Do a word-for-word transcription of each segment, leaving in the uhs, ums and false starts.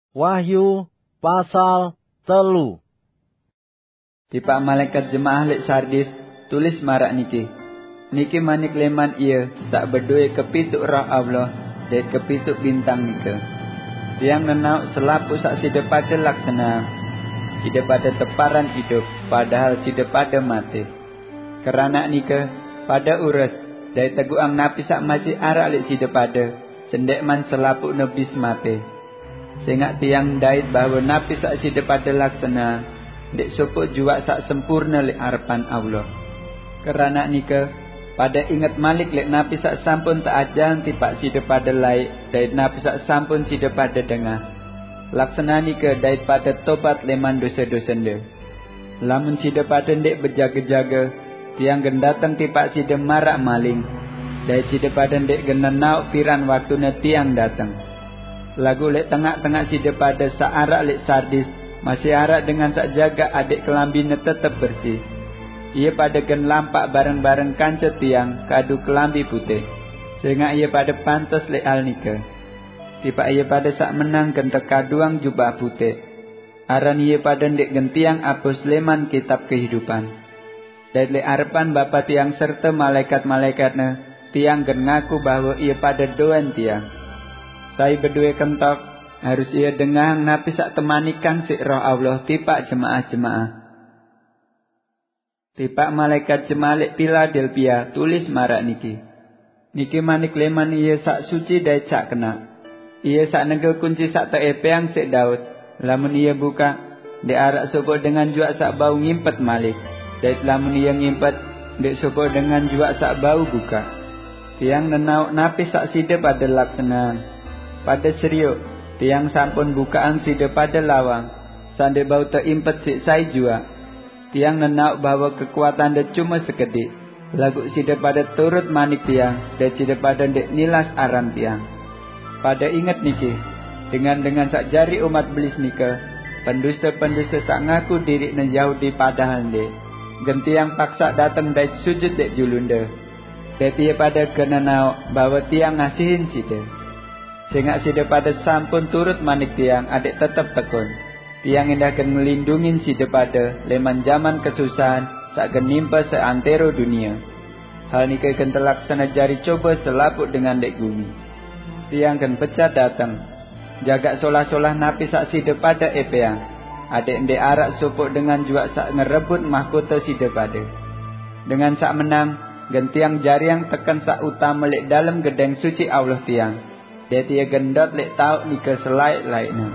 Wahyu pasal telu. Tipak malaikat jemaah lek Sardis, tulis maraq niki. Niki manik leman Ia saq bedoe kepituk Roh Allah dait kepituk bintang nika. Tiang nenaoq selapuq saq side pade laksaneang. Side pade teparan idup, padahal side pade mate. Keranaq nike, pade ures, dait teguqang napi saq masih araq lek side pade, sendekman selapuqne bis mate. Sengaq tiang ndait bahwe napi saq side pade laksaneang, ndeq sopoq juaq saq sempurne lek arepan Allah. Keranaq nike, pade inget malik lek napi saq sampun teajahang tipaq side pade laeq dait napi saq sampun side pade dengah. Laksane nike dait pade tobat leman dose-dosende. Lamun side pade ndeq bejage-jage, tiang gen dateng tipaq side maraq maling, dait side pade ndeq gen nenaoq piran waktune tiang dateng. Laguq lek tengaq-tengaq side pade saq araq lek Sardis masih araq dengan saq jagaq adeq kelambine tetep bersih, ie pade gen lampaq bareng-bareng kance tiang kadu kelambi putih, sengaq ie pade pantes lek hal nike. Tipaq ie pade saq menang gen tekaduang jubah putih. Aran ie pade ndeq gen tiang apus leman kitab kehidupan. Dait lek arepan Bapa tiang serte malaikat-malaikatne, tiang gen ngaku bahwe ie pade doen tiang. Sai bedoe kentok, harus ie dengahang napi saq temanikang siq Roh Allah tipaq jemaah-jemaah. Tipaq malaikat jemaah lek Piladelpia, tulis maraq niki. Niki manik leman Ie saq suci dait saq kenaq, Ie saq negel kunci saq teepeang siq Daud. Lamun Ie bukaq, ndeq araq sopoq dengan juaq saq bau ngimpet malik, dait lamun Ie ngimpet, ndeq sopoq dengan juaq saq bau bukaq. Tiang nenaoq napi saq side pade laksaneang. Pade serioq, tiang sampun bukaqang side pade lawang, saq ndeq bau teimpet siq sai juaq. Tiang nenaoq bahwe kekuatande cume sekediq, laguq side pade turut manik tiang, dait side pade ndeq nilas aran tiang. Pade inget niki, dengan-dengan saq jari umat belis nike, penduste-penduste saq ngaku diriqne Yahudi padahal ndeq, gen tiang paksaq dateng dait sujut leq julunde. Dait ie pade gen nenaoq bahwe tiang ngasihin side. Sengaq side pade sampun turut manik tiang adeq tetep tekun. Tiang endah gen ngelindungin side pade leman jaman kesusahan saq gen nimpe seantero dunie. Hal nike gen telaksane jari cobe selapuq dengan leq gumi. Tiang gen becat dateng. Jagaq solah-solah napi saq side pade epeang, adeq ndeq araq sopoq dengan juaq saq ngerebut mahkote side pade. Dengan saq menang, gen tiang jariang teken saq utame leq dalem gedeng suci Allah tiang, dait ie gen ndot leq taoq nike selaeq-laeqne.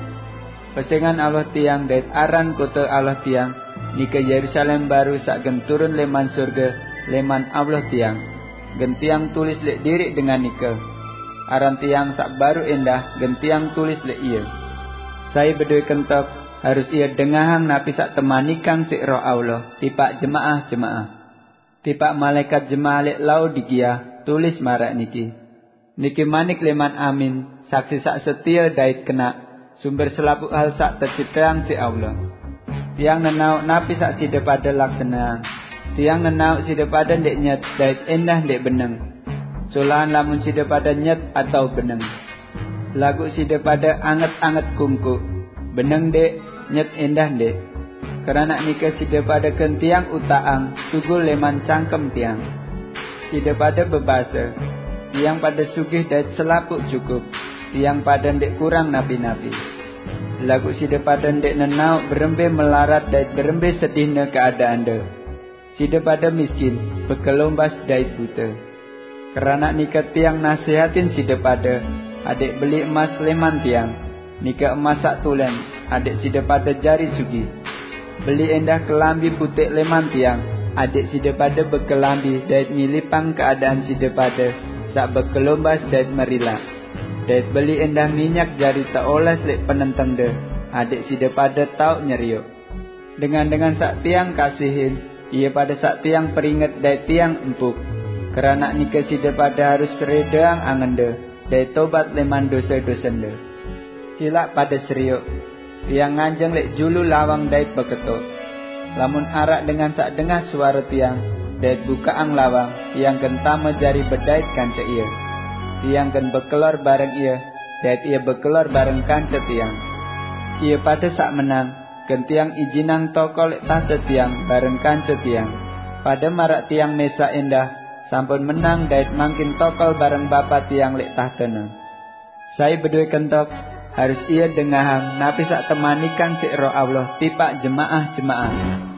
Pesengan Allah tiang dait aran kote Allah tiang, nike Yerusalem baru saq gen turun leman sorge leman Allah tiang, gen tiang tulis leq diriq dengan nike. Aran tiang saq baruq endah gen tiang tulis leq ie. Sai bedoe kentok, harus ie dengahang napi saq temanikang siq Roh Allah tipaq jemaah-jemaah. Tipaq malaekat jemaah leq Laodikia, tulis maraq niki. Niki manik leman Amin, saksi saq setie dait kenaq, sumber selapuq hal saq tecipteang siq Allah. Tiang nenaoq napi saq side pade laksaneang. Tiang nenaoq side pade ndeq nyet dait endah ndeq beneng. Solahan lamun side pade nyet atao beneng. Laguq side pade anget-anget kungkuq, beneng ndeq, nyet endah ndeq. Keranaq nike side pade gen tiang utaqang sugul leman cangkem tiang. Side pade bebase, "Tiang pade sugih dait selapuq cukup, tiang pade ndeq kurang napi-napi." Laguq side pade ndeq nenaoq berembe melarat dait berembe sedihne keadaande. Side pade miskin, bekelombas dait bute. Keranaq nike tiang nasehatin side pade, adeq beli emas leman tiang, nike emas saq tulen, adeq side pade jari sugih. Beli endah kelambi puteq leman tiang, adeq side pade bekelambi dait nyilipang keadaan side pade saq bekelombas dait merilaq. Dait beli endah minyak jari teoles leq penentengde, adeq side pade taoq nyerioq. Dengan-dengan saq tiang kasihin, ie pade saq tiang peringet dait tiang empuk. Keranaq nike side pade harus redeang angende, dait tobat leman dose-dosende. Silaq pade serioq. Tiang nganjeng leq julu lawang dait beketok. Lamun araq dengan saq dengah suare tiang, dait bukaqang lawang, tiang gen tame jari bedait kance ie. Tiang gen bekelor bareng ie, dait ie bekelor bareng kance tiang. Iya pada sak menang, gen tiang ijinang tokol lek tahta tiang bareng kanca tiang. Pada marak tiang mesak endah, sampun menang dait mangkin tokol bareng Bapa tiang lek tahtana. Sai beduwe kentok, harus iya dengahang napi sak temanikan sik Roh Allah tipak jemaah-jemaah.